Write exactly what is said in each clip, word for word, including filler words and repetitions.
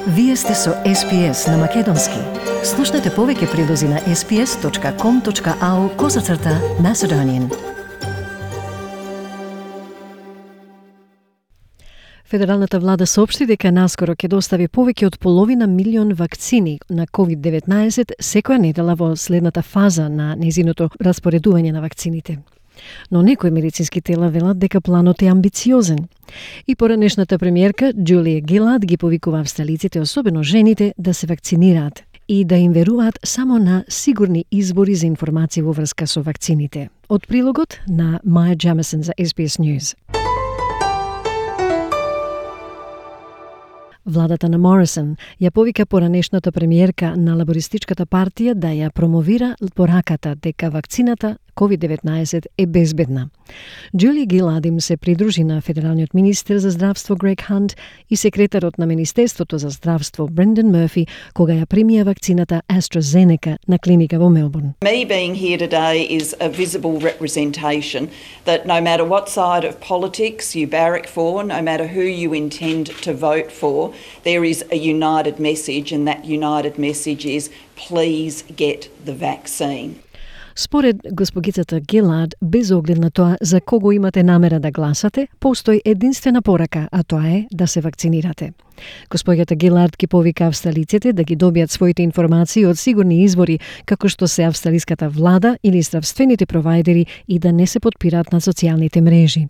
Вие сте со Ес Би Ес на Македонски. Слушнете повеќе прилози на ес би ес точка ком точка ау козацрта Macedonian. Федералната влада соопшти дека наскоро ќе достави повеќе од половина милион вакцини на ковид деветнаесет секоја недела во следната фаза на незиното распоредување на вакцините. Но некои медицински тела велат дека планот е амбициозен. И поранешната премиерка Џулија Гилад ги повикува австралиците, особено жените, да се вакцинираат и да им веруваат само на сигурни избори за информации во врска со вакцините. Од прилогот на Маја Джемесон за Ес Би Ес News. Владата на Морисон ја повика поранешната премиерка на лабористичката партија да ја промовира пораката дека вакцината ковид деветнаесет е безбедна. Џулија Гилад им се придружи на федералниот министер за здравство Грег Хант и секретарот на Министерството за здравство Брендан Мърфи кога ја примија вакцината AstraZeneca на клиника во Мелбурн. Me being here today is a visible representation that no matter what side of politics you barrack for, no matter who you intend to vote for, there is a united message, and that united message is please get the vaccine. Според госпогицата Гилад, без оглед на тоа за кого имате намера да гласате, постои единствена порака, а тоа е да се вакцинирате. Госпоѓата Гилад ги повика австралиците да ги добијат своите информации од сигурни извори, како што се австралиската влада или здравствените провајдери, и да не се подпираат на социјалните мрежи.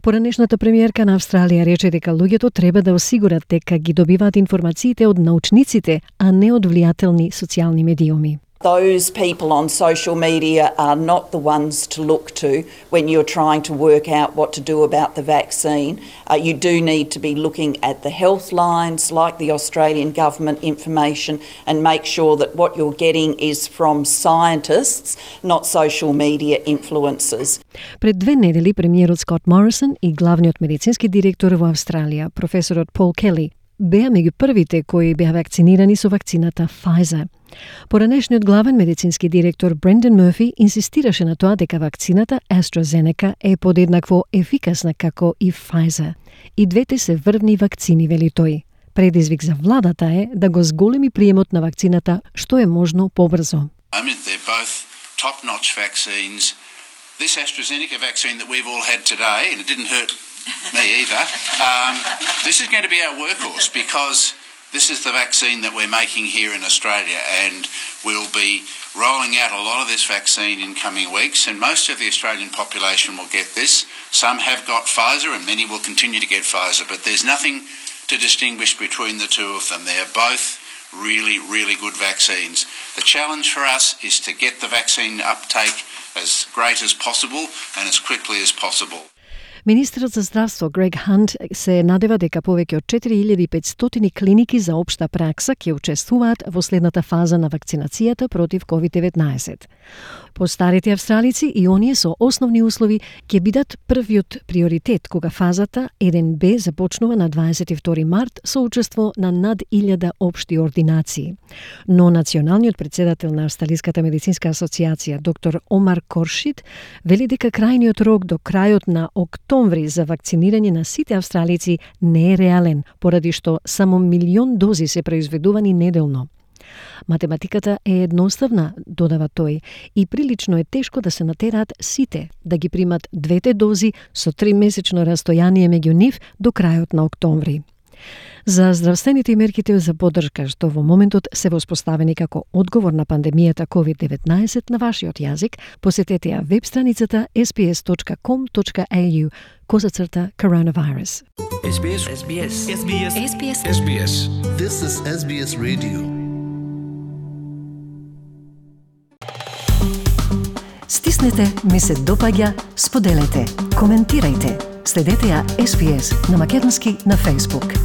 Поранешната премиерка на Австралија рече дека луѓето треба да осигурат дека ги добиваат информациите од научниците, а не од влијателни социјални медиуми. Those people on social media are not the ones to look to when you're trying to work out what to do about the vaccine. Uh, you do need to be looking at the health lines, like the Australian government information, and make sure that what you're getting is from scientists, not social media influencers. Пред две недели премиерот Скот Морисон и главниот медицински директор во Австралија, професорот Пол Кели, беа меѓу првите кои беа вакцинирани со вакцината Pfizer. Поранешниот главен медицински директор Брендан Мърфи инсистираше на тоа дека вакцината AstraZeneca е подеднакво ефикасна како и Pfizer. И двете се врвни вакцини, вели тој. Предизвик за владата е да го зголеми приемот на вакцината што е можно побрзо. I mean, they're both top-notch vaccines. This AstraZeneca vaccine that we've all had today, and it didn't hurt me either, um, this is going to be our workhorse because this is the vaccine that we're making here in Australia, and we'll be rolling out a lot of this vaccine in coming weeks, and most of the Australian population will get this. Some have got Pfizer and many will continue to get Pfizer, but there's nothing to distinguish between the two of them. They are both really, really good vaccines. The challenge for us is to get the vaccine uptake as great as possible and as quickly as possible. Министерот за здравство Грег Хант се надева дека повеќе од четири илјади и петстотини клиники за општа пракса ќе учествуваат во следната фаза на вакцинацијата против ковид деветнаесет. Постарите австралици и оние со основни услови ќе бидат првиот приоритет кога фазата еден Б започнува на дваесет и втори март со учество на над илјада општи ординации. Но националниот претседател на Австралиската медицинска асоциација доктор Омар Коршид вели дека крајниот рок до крајот на октомври за вакцинирање на сите австралици не е реален, поради што само милион дози се произведувани неделно. Математиката е едноставна, додава тој, и прилично е тешко да се натераат сите да ги примат двете дози со тримесечно растојание меѓу нив до крајот на октомври. За здравствените и мерките за поддршка што во моментот се воспоставени како одговор на пандемијата ковид деветнаесет на вашиот јазик, посетете ја веб страницата ес би ес точка ком точка ей ю козацрта коронавирус. Ес Би Ес. Ес Би Ес. Ес Би Ес. Ес Би Ес. Ес Би Ес. This is Ес Би Ес Radio. Стиснете, ми се допаѓа, споделете, коментирајте. Следете ја Ес Би Ес на македонски на Facebook.